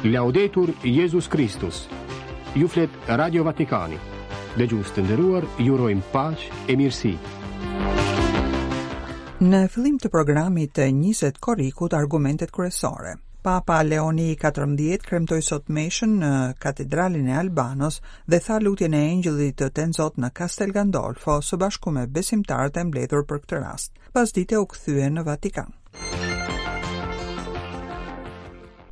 Laudetur Jezus Kristus. Ju flet Radio Vatikani. Dëgjues të nderuar, ju urojmë paqe e mirësi. Në fillim të programit të 20 korrikut argumentet kryesore. Papa Leoni i 14 kremtoi sot meshën në Katedralen e Albanos dhe tha lutjen e Engjëllit të Tenzot në Castel Gandolfo së bashku me besimtarët e mbledhur për këtë rast. Pasdite u kthye në Vatikan.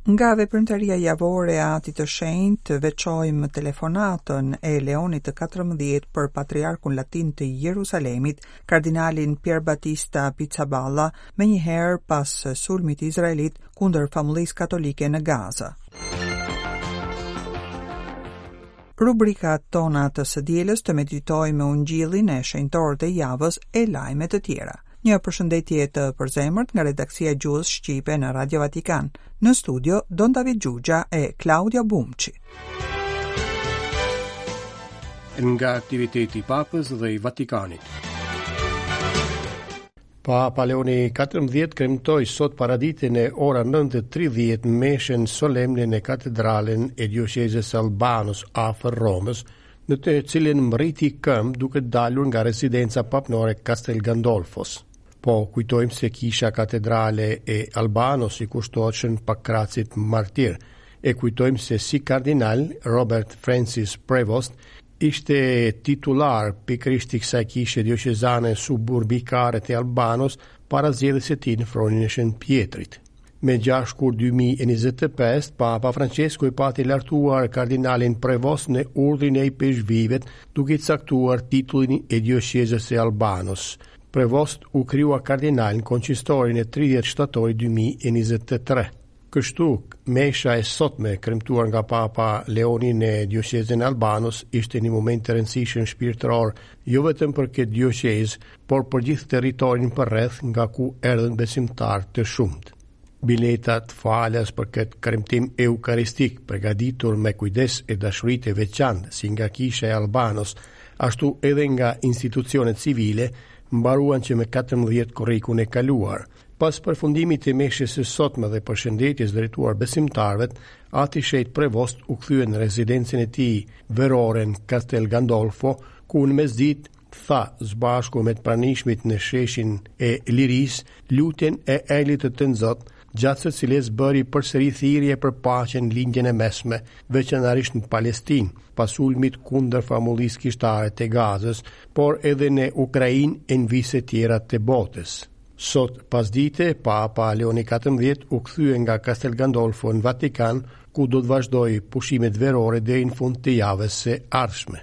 Nga veprimtaria javore e Atit të Shenjtë veçojmë telefonatën e Leonit të 14 për patriarkun latin të Jerusalemit, kardinalin Pierbattista Pizzaballa, menjëherë pas sulmit izraelit kundër famullisë katolike në Gaza. Rubrikat tona të së dielës të meditojmë Ungjillin e shenjtorët e javës e lajme të tjera. Një përshëndetje të përzemërt nga redaksia e gjuhës shqipe në Radio Vatikan. Në studio Don David Xhuxha e Klaudia Bumçi. Nga aktiviteti i Papës dhe i Vatikanit. Papa Leoni 14 kremtoi sot paradite në ora 9:30 meshën solemne në katedralen e dioqezës së Albanos afër Romës, në të cilën mbërriti këmbë duke dalur nga rezidenca papnore Castel Gandolfos. Po kujtojmë se kisha katedrale e Albanos i kushtohet Shën Pakracit martir. E kujtojmë se si kardinal Robert Francis Prevost ishte titullar pikërisht i kësaj kishe dioqezane suburbikare të Albanos para zgjedhjes së tij në fronin e Shën Pjetrit. Me 6 shkurt 2025, Papa Francesku e pati lartuar kardinalin Prevost në urdhrin e ipeshkvijve, duke i caktuar titullin e dioqezës së Albanos. Prevost u krijua kardinal në konsistorin e 30 shtatorit 2023. Kështu, mesha e sotme kremtuar nga Papa Leoni në dioqezën e Albanos ishte një moment i rëndësishëm shpirtëror, jo vetëm për këtë dioqezë, por për gjithë territorin përreth nga ku erdhën besimtarë të shumtë. Biletat falas për këtë kremtim eukaristik, përgatitur me kujdes e dashuri të veçantë si nga Kisha e Albanos, ashtu edhe nga institucionet civile, mbaruan që me 14 korrikun e kaluar. Pas përfundimit të meshës së sotme dhe përshëndetjes drejtuar besimtarëve, Ati i Shenjtë Prevost u kthye në rezidencën e tij verore në Castel Gandolfo, ku në mesditë tha së bashku me të pranishmit në sheshin e Lirisë lutjen e Engjëllit të Tënzot, gjatë së cilës bëri përsëri thirrje për paqe në Lindjen e Mesme, veçanërisht në Palestinë, pas sulmit kundër famullisë kishtare të Gazës, por edhe në Ukrainë e në vise tjera të botës. Sot pasdite, Papa Leoni 14 u kthye nga Castel Gandolfo në Vatikan, ku do të vazhdojë pushimet verore deri në fund të javës së ardhshme.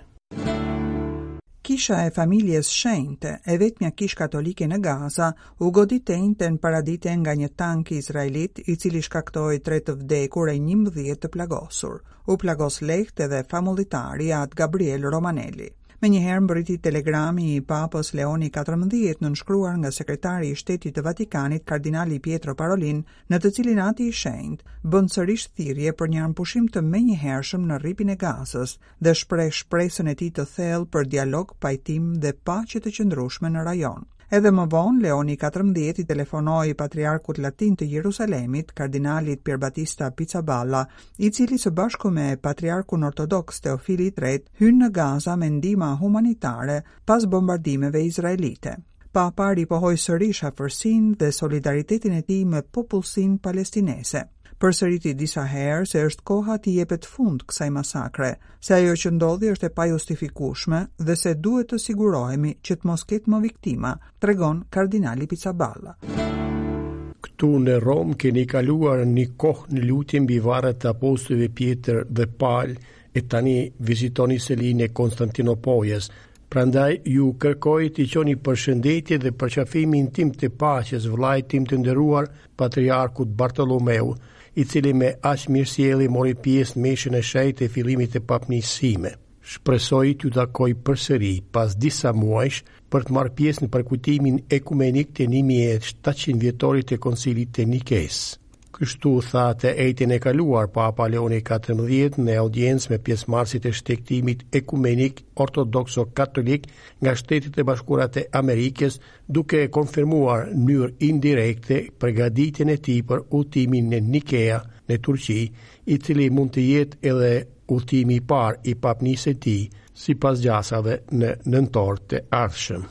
Kisha e Familjes Shenjte, e vetmja kishë katolike në Gaza, u godit të enjten paradite nga një tank izraelit, i cili shkaktoi tre të vdekur e 11 të plagosur. U plagos lehtë edhe famullitari At Gabriel Romanelli. Menjëherë mbërriti telegrami i Papës Leoni 14, nënshkruar nga sekretari i Shtetit të Vatikanit, kardinali Pietro Parolin, në të cilin Ati i Shenjtë bën sërish thirrje për një armëpushim të menjëhershëm në Rripin e Gazës dhe shpreh shpresën e tij të thellë për dialog, pajtim dhe paqe të qëndrueshme në rajon. Edhe më vonë, Leoni 14 i telefonoi patriarkut latin të Jerusalemit, kardinalit Pierbattista Pizzaballa, i cili së bashku me patriarkun ortodoks Teofili i III hynë në Gaza me ndihma humanitare pas bombardimeve izraelite. Papa ripohoi sërish afërsinë dhe solidaritetin e tij me popullsinë palestineze. Përsëriti disa herë se është koha t'i jepet fund kësaj masakre, se ajo që ndodhi është e pajustifikueshme dhe se duhet të sigurohemi që të mos ketë më viktima, tregon kardinali Pizzaballa. Këtu në Romë keni kaluar një kohë në lutje mbi varret e apostujve Pjetër dhe Pal e tani vizitoni selinë e Konstantinopojës. Prandaj ju kërkoj t'i çoni përshëndetje dhe përqafimin tim të paqes vëllait tim të nderuar patriarkut Bartolomeu, i cili me aq mirësjellje mori pjesë në meshën e shenjtë të fillimit të papnisë sime. Shpresoj t'ju takoj përsëri pas disa muajsh për të marrë pjesë në përkujtimin ekumenik të 1700 vjetorit të Koncilit të Nikesë. Kështu tha të enjten e kaluar Papa Leoni 14 në audiencë me pjesëmarrësit e shtegtimit ekumenik ortodokso-katolik nga Shtetet e Bashkuara të Amerikës, duke konfirmuar në mënyrë indirekte përgatitjen e tij për udhëtimin në Nikea. në Turqi, i cili mund të jetë edhe udhëtimi i parë i papnisë së tij, sipas gjasave në nëntor të ardhshëm.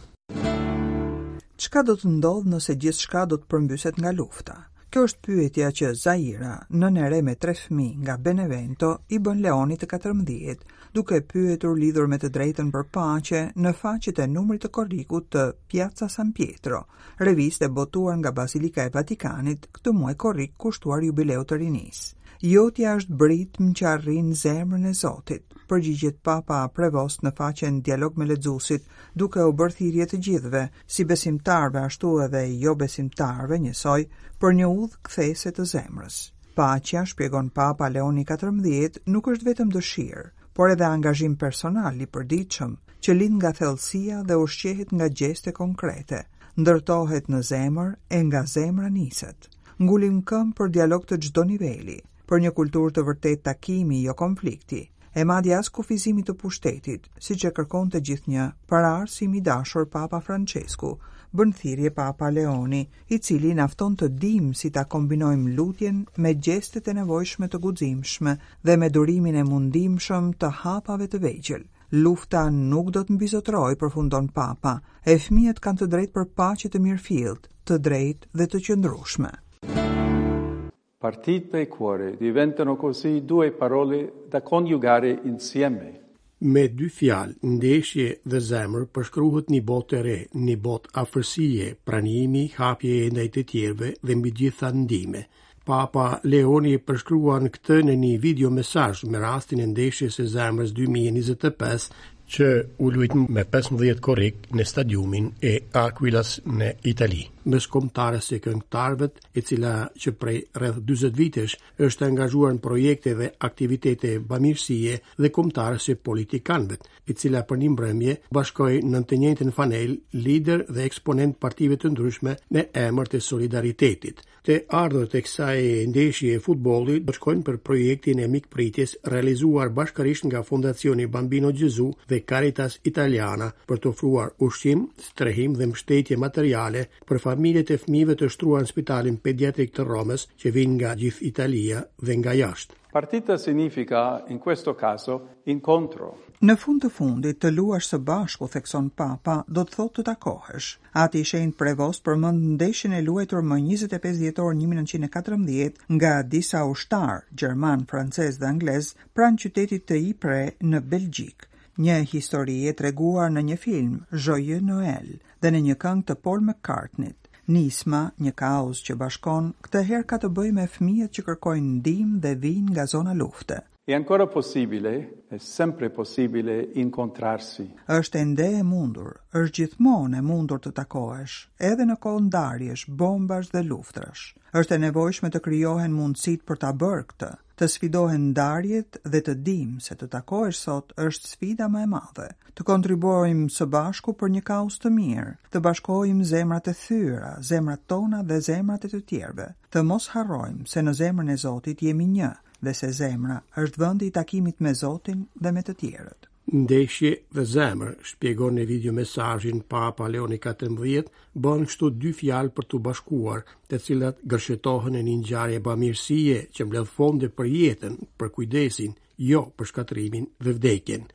Çka do të ndodhë nëse gjithçka do të përmbyset nga lufta? Kjo është pyetja që Zaira, nënë e re me tre fëmijë nga Benevento, i bën Leonit të 14, duke pyetur lidhur me të drejtën për paqe në faqet e numrit të korrikut të Piazza San Pietro, revistë e botuar nga Bazilika e Vatikanit këtë muaj korrik kushtuar jubileut të rinisë. Jotja është britmë që arrin zemrën e Zotit, përgjigjet Papa Prevost në faqen Dialog me lexuesit, duke u bërë thirrje të gjithëve, si besimtarëve ashtu edhe jobesimtarëve njësoj, për një udhë kthese të zemrës. Paqja, shpjegon Papa Leoni 14, nuk është vetëm dëshirë, por edhe angazhim personal i përditshëm, që lind nga thellësia dhe ushqehet nga gjeste konkrete, ndërtohet në zemër e nga zemra niset. Ngulim këmbë për dialog të çdo niveli, për një kulturë të vërtetë takimi, jo konflikti, e madje as kufizimi të pushtetit, siç e kërkonte gjithnjë paraardhësi im i dashur Papa Françesku, bën thirrje Papa Leoni, i cili na fton të dimë si ta kombinojmë lutjen me gjestet e nevojshme të guximshme dhe me durimin e mundimshëm të hapave të vegjël. Lufta nuk do të mbizotërojë, përfundon Papa, e fëmijët kanë të drejtë për paqe të mirëfilltë, të drejtë dhe të qëndrueshme. Partita e cuore diventano così due parole da coniugare insieme. Me dy fjalë, ndeshje dhe zemër, përshkruhet një botë e re, një botë afërsie, pranimi, hapjeje ndaj të tjerëve dhe mbi të gjitha ndihme. Papa Leoni e përshkruan këtë në një video mesazh me rastin e ndeshjes së zemrës 2025 që u luajt me 15 korrik në stadiumin e Aquilas në Itali. Mes kombëtares së këngëtarëve e cila që prej rreth 40 vitesh është angazhuar në projekte dhe aktivitete bamirësie dhe kombëtares së politikanëve, e cila për një mbrëmje bashkoi nën të njëjtën fanellë liderë dhe eksponentë partive të ndryshme në emër të solidaritetit. Të ardhurat e kësaj ndeshjeje futbolli do të shkojnë për projektin e mikpritjes realizuar bashkërisht nga Fondacioni Bambino Gesù dhe Caritas Italiana për të ofruar ushqim, strehim dhe mbështetje materiale për familjet e fëmijëve të shtruar në spitalin pediatrik të Romës që vijnë nga gjithë Italia dhe nga jashtë. Partita significa, in questo caso, incontro. Në fund të fundit, të luash së bashku, thekson Papa, do të thotë të takohesh. Ati i Shenjtë Prevost përmend ndeshjen e luajtur më 25 dhjetor 1914 nga disa ushtarë gjermanë, francezë dhe anglezë pranë qytetit të Ypres në Belgjikë. Një histori e treguar në një film, Joyeux Noël, dhe në një këngë të Paul McCartney-t. Nisma, një kauzë që bashkon, këtë herë ka të bëjë me fëmijët që kërkojnë ndihmë dhe vijnë nga zona lufte. È ancora possibile, è sempre possibile incontrarsi. Është ende e mundur, është gjithmonë e mundur të takohesh, edhe në kohë ndarjesh, bombash dhe luftrash. Është e nevojshme të krijohen mundësitë për ta bërë këtë. Të sfidohen ndarjet dhe të dimë se të takohesh sot është sfida më e madhe. Të kontribuojmë së bashku për një kauzë të mirë, të bashkojmë zemrat e thyera, zemrat tona dhe zemrat e të tjerëve. Të mos harrojmë se në zemrën e Zotit jemi një dhe se zemra është vendi i takimit me Zotin dhe me të tjerët. Ndeshje dhe zemër, shpjegon në video mesazhin Papa Leoni 14, bën kështu dy fjalë për t'u bashkuar, të cilat gërshetohen në një ngjarje bamirësie që mbledh fonde për jetën, për kujdesin, jo për shkatërrimin dhe vdekjen.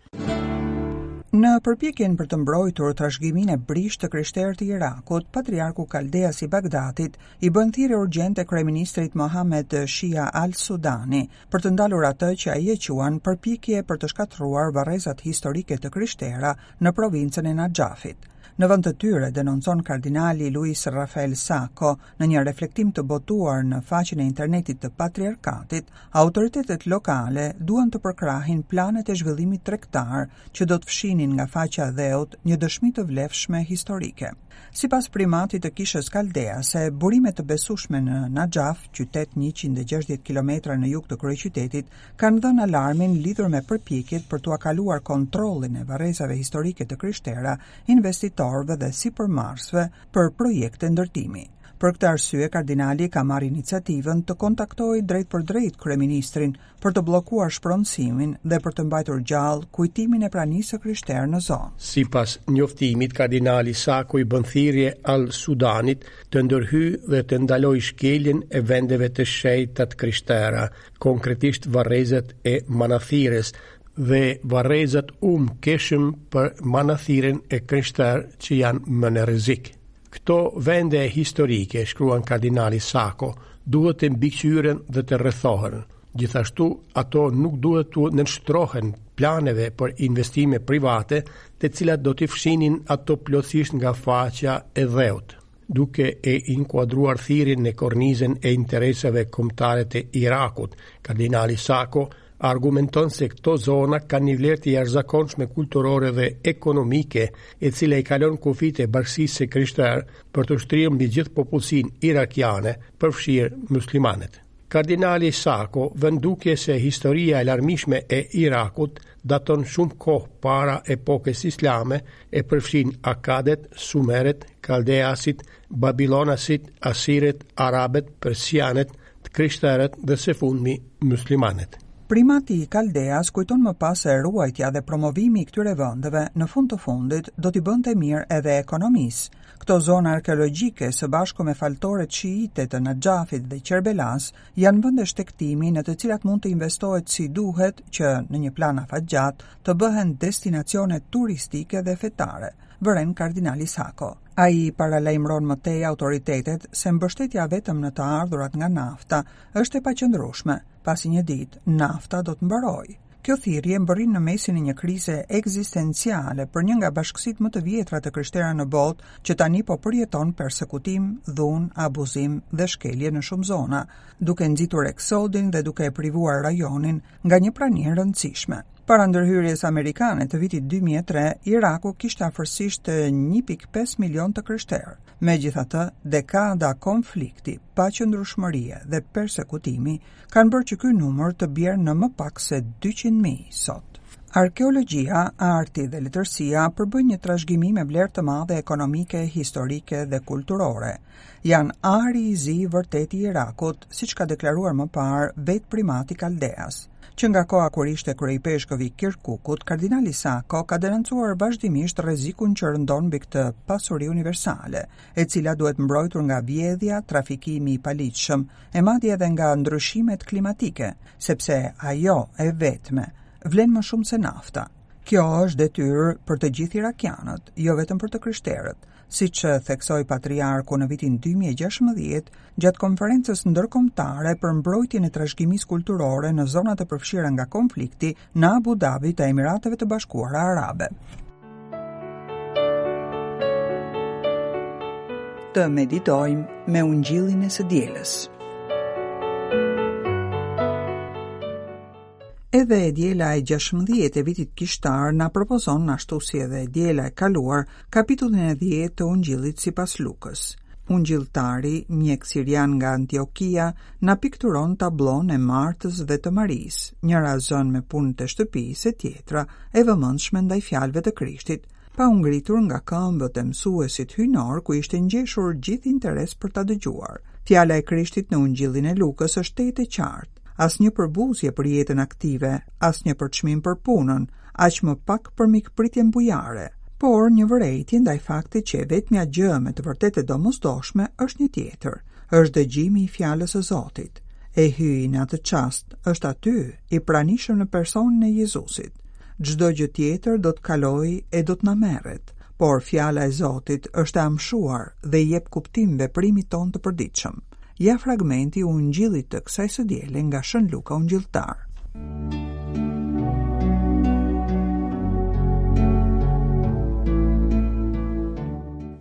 Në përpjekjen për të mbrojtur trashëgiminë e brishtë të krishterë të Irakut, patriarku kaldeas i Bagdatit i bën thirrje urgjente kryeministrit Mohamed Shia al-Sudani për të ndalur atë që ai e quan përpjekje për të shkatërruar varrezat historike të krishtera në provincën e Naxhafit. Në vend të tyre, denoncon kardinali Luis Rafael Sako në një reflektim të botuar në faqen e internetit të Patriarkatit, autoritetet lokale duan të përkrahin planet e zhvillimit tregtar që do të fshinin nga faqja e dheut një dëshmi të vlefshme historike. Sipas primatit të Kishës Kaldease, burime të besueshme në Naxhaf, qytet 160 kilometra në jug të kryeqytetit, kanë dhënë alarmin lidhur me përpjekjet për t'ua kaluar kontrollin e varrezave historike të krishtera investitorëve dhe sipërmarrësve për projekte ndërtimi. Për këtë arsye, kardinali ka marrë iniciativën të kontaktojë drejtpërdrejt kryeministrin për të bllokuar shpronësimin dhe për të mbajtur gjallë kujtimin e pranisë së krishterë në zonë. Sipas njoftimit, kardinali Sako i bën thirrje Al-Sudanit të ndërhyjë dhe të ndalojë shkeljen e vendeve të shenjta të krishtera, konkretisht varrezat e Manathirës dhe varrezat Um Keshëm për Manathirin e krishterë që janë më në rrezik. Këto vende historike, shkruan kardinali Sako, duhet të mbikëqyren dhe të rrethohen. Gjithashtu, ato nuk duhet t'u nënshtrohen planeve për investime private, të cilat do t'i fshinin ato plotësisht nga faqja e dheut. Duke e inkuadruar thirrjen në kornizën e interesave kombëtare të Irakut, kardinali Sako argumenton se këto zona kanë një vlerë të jashtëzakonshme kulturore dhe ekonomike, e cila i kalon kufijtë e bashkësisë së krishterë për t'u shtrirë mbi gjithë popullsinë irakiane, përfshirë muslimanët. Kardinali Sako vë në dukje se historia e larmishme e Irakut daton shumë kohë para epokës islame e përfshin Akadet, Sumerët, Kaldeasit, Babilonasit, Asirët, Arabët, Persianët, të krishterët dhe së fundmi muslimanët. Primati i Kaldeas kujton më pas se ruajtja dhe promovimi i këtyre vendeve në fund të fundit do t'i bënte mirë edhe ekonomisë. Këto zona arkeologjike së bashku me faltoret shiite të Naxhafit dhe Qerbelas janë vende shtegtimi në të cilat mund të investohet si duhet që në një plan afatgjatë të bëhen destinacione turistike dhe fetare. Vëren kardinali Sako. Ai paralajmëron më tej autoritetet se mbështetja vetëm në të ardhurat nga nafta është e paqëndrueshme, pasi një ditë nafta do të mbarojë. Kjo thirrje mbërrin në mesin e një krize ekzistenciale për një nga bashkësitë më të vjetra të krishtera në botë, që tani po përjeton persekutim, dhunë, abuzim dhe shkelje në shumë zona, duke nxitur eksodin dhe duke e privuar rajonin nga një prani e rëndësishme. Para ndërhyrjes amerikane të vitit 2003, Iraku kishte afërsisht 1.5 milion të krishterë. Megjithatë, dekada konflikti, paqëndrueshmërie dhe persekutimi kanë bërë që ky numër të bjerë në më pak se 200.000 sot. Arkeologjia, arti dhe letërsia përbëjnë një trashëgimi me vlerë të madhe ekonomike, historike dhe kulturore. Janë ari i zi i vërtetë i Irakut, siç ka deklaruar më parë vetë primati Kaldeas. Që nga koha kur ishte kryeipeshkëv i Kirkukut, kardinali Sako ka denoncuar vazhdimisht rrezikun që rëndon mbi këtë pasuri universale, e cila duhet mbrojtur nga vjedhja, trafikimi i paligjshëm, e madje edhe nga ndryshimet klimatike, sepse ajo e vetme vlen më shumë se nafta. Kjo është detyrë për të gjithë irakianët, jo vetëm për të krishterët, siç theksoi patriarku në vitin 2016 gjatë konferencës ndërkombëtare për mbrojtjen e trashëgimisë kulturore në zonat e përfshira nga konflikti në Abu Dhabi të Emirateve të Bashkuara Arabe. Të meditojmë me ungjillin e së dielës. Edhe e diela e 16 e vitit kishtar na propozon ashtu si edhe e diela e kaluar kapitullin e 10 të Ungjillit sipas Lukës. Ungjilltari, mjek sirian nga Antiokia, na pikturon tablonë e Martës dhe të Marisë, njëra zënë me punët e shtëpisë e tjetra e vëmendshme ndaj fjalëve të Krishtit, pa u ngritur nga këmbët e mësuesit hyjnor ku ishte ngjeshur gjithë interes për ta dëgjuar. Fjala e Krishtit në Ungjillin e Lukës është tejet e qartë. Asnjë përbuzje për jetën aktive, asnjë përçmim për punën, aq më pak për mikpritjen bujare, por një vërejtje ndaj faktit që e vetmja gjë me të vërtetë e domosdoshme është një tjetër, është dëgjimi i fjalës së Zotit. E Hyji në atë çast është aty, i pranishëm në personin e Jezusit. Çdo gjë tjetër do të kalojë e do të na merret, por fjala e Zotit është e amshuar dhe i jep kuptim veprimit tonë të përditshëm. Ja fragmenti i Ungjillit të kësaj së diele nga Shën Luka Ungjilltar.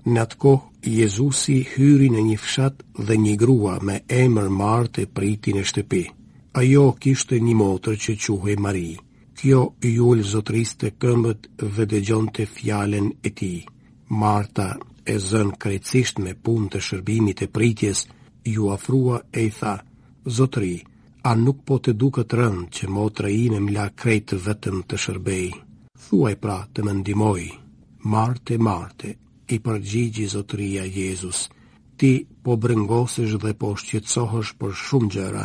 Në atë kohë, Jezusi hyri në një fshat dhe një grua me emër Martë e priti në shtëpi. Ajo kishte një motër që quhej Mari. Kjo iu ul Zotërisë te këmbët dhe dëgjonte fjalën e tij. Marta, e zënë krejtësisht me punë të shërbimit e pritjes, iu afrua e i tha, Zotëri, a nuk po të duket rëndë që motra ime më la krejt vetëm të shërbej? Thuaji pra të më ndihmojë. Marte, Marte, i përgjigji Zotëria Jezus, ti. Ti po brengosesh dhe po shqetësohesh për shumë gjëra,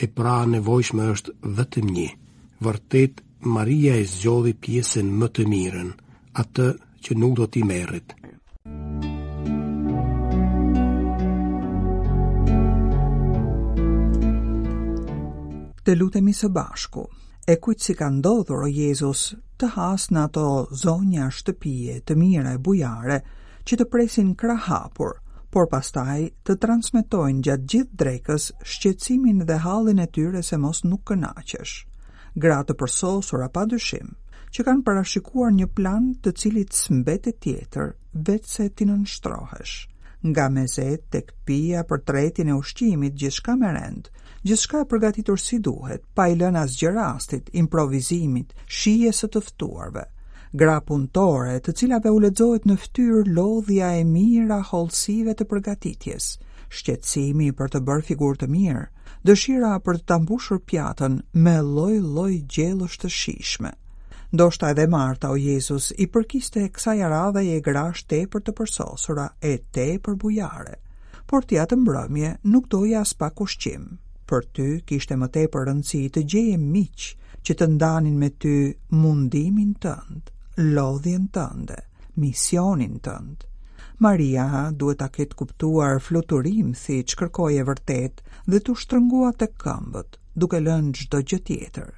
e pra e nevojshme është vetëm një. Vërtet, Maria e zgjodhi pjesën më të mirën, atë që nuk do t'i merret. Të lutemi së bashku. E kujt s'i ka ndodhur, o Jezus, të hasë në ato zonja shtëpie të mira e bujare që të presin krahëhapur, por pastaj të transmetojnë gjatë gjithë drekës shqetësimin dhe hallin e tyre se mos nuk kënaqesh. Gra të përsosura pa dyshim, që kanë parashikuar një plan të cilit s'mbetet tjetër veçse t'i nënshtrohesh. Nga mezet tek pija për tretjen e ushqimit, gjithçka me rend, Gjithçka e përgatitur si duhet, pa i lënë asgjë rastit, improvizimit, shijes së të ftuarve. Gra punëtore, të cilave u lexohet në fytyrë lodhja e mijëra hollësive të përgatitjes, shqetësimi për të bërë figurë të mirë, dëshira për të ta mbushur pjatën me lloj-lloj gjellësh të shijshme. Ndoshta edhe Marta, o Jezus, i përkiste kësaj aradheje grash tepër të përsosura e tepër bujare. Por ti atë mbrëmje nuk doje aspak ushqim. Për ty kishte më tepër rëndësi të gjeje miq që të ndanin me ty mundimin tënd, lodhjen tënde, misionin tënd. Maria duhet ta ketë kuptuar fluturimthi ç'kërkoje vërtet dhe t'u shtrëngua tek këmbët, duke lënë çdo gjë tjetër.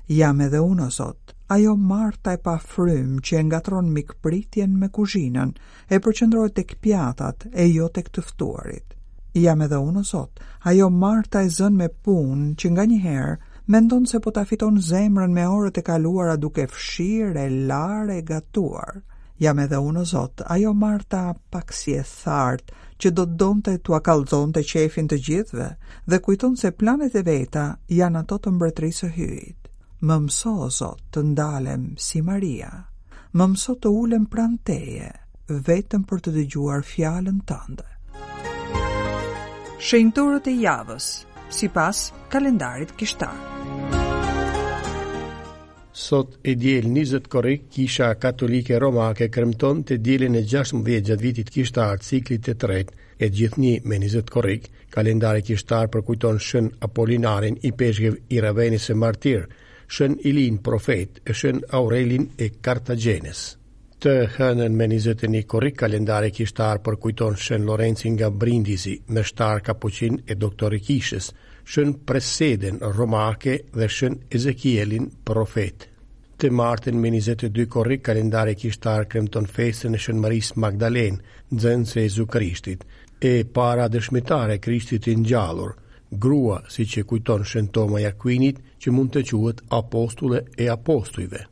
Jam edhe unë, o Zot, ajo Marta e pafrymë që e ngatërron mikpritjen me kuzhinën, e përqendrohet tek pjatat e jo tek të ftuarit. Jam edhe unë, o Zot, ajo Marta e zënë me punë që nganjëherë mendon se po ta fiton zemrën me orët e kaluara duke fshirë e larë e gatuar. Jam edhe unë, o Zot, ajo Marta pak si e thartë që do të donte t'ua kallxonte qejfin të gjithëve dhe kujton se planet e veta janë ato të mbretërisë së Hyjit. Më mëso, o Zot, të ndalem si Maria. Më mëso të ulem pranë teje, vetëm për të dëgjuar fjalën tënde. Shenjtorët e javës, sipas kalendarit kishtar. Sot e diel 20 korrik, Kisha Katolike Romake kremton të dielën e 16 gjatë vitit kishtar ciklit të tretë, e gjithnjë me 20 korrik, kalendari kishtar përkujton Shën Apolinarin, ipeshkëv i Ravenës e martir, Shën Ilin profet e Shën Aurelin e Kartagjenës. Të hënën me 21 korrik kalendari kishtar përkujton Shën Lorencin nga Brindisi, meshtar kapuçin e doktor i kishës, Shën Presedën romake dhe Shën Ezekielin profet. Të martën me 22 korrik kalendari kishtar kremton festën e Shën Marisë Magdalenë, nxënëse e Jezu Krishtit, e para dëshmitare e Krishtit të ngjallur, grua, siç e kujton Shën Toma i Akuinit, që mund të quhet apostulle e apostujve.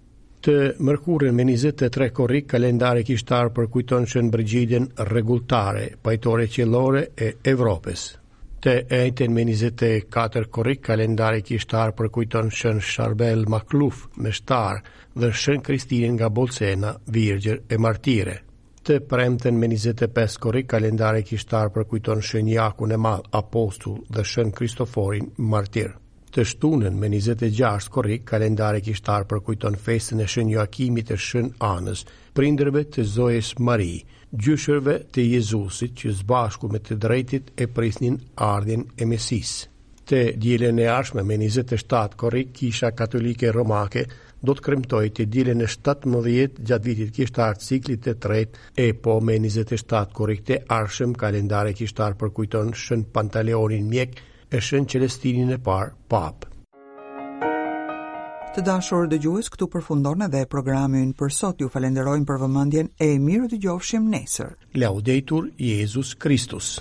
Të mërkurën me 23 korrik, kalendari kishtar përkujton Shën Brigidën rregulltare, pajtore qiellore e Evropës. Të enjten me 24 korrik, kalendari kishtar përkujton Shën Sharbel Makluf, meshtar, dhe Shën Kristinën nga Bolsena, virgjër e martire. Të premten me 25 korrik, kalendari kishtar përkujton Shën Jakun e Madh, apostull dhe Shën Kristoforin, martir. Të shtunën me 26 korrik, kalendari kishtar përkujton festën e Shën Joakimit e Shën Anës, prindërve të Zojës Mari, gjyshërve të Jezusit që së bashku me të drejtit e prisnin ardhjen e Mesisë. Të dielën e ardhshme me 27 korrik, Kisha Katolike Romake do të kremtojë të dielën e 17 gjatë vitit kishtar ciklit të tretë e po me 27 korrik të ardhshëm kalendari kishtar përkujton Shën Pantaleonin mjek e Shën Celestinin e parë papë. Të dashur dëgjues, këtu përfundon edhe programi ynë për sot. Ju falenderojmë për vëmendjen e mirudëgjofshim nesër. Laudetur Jezus Christus.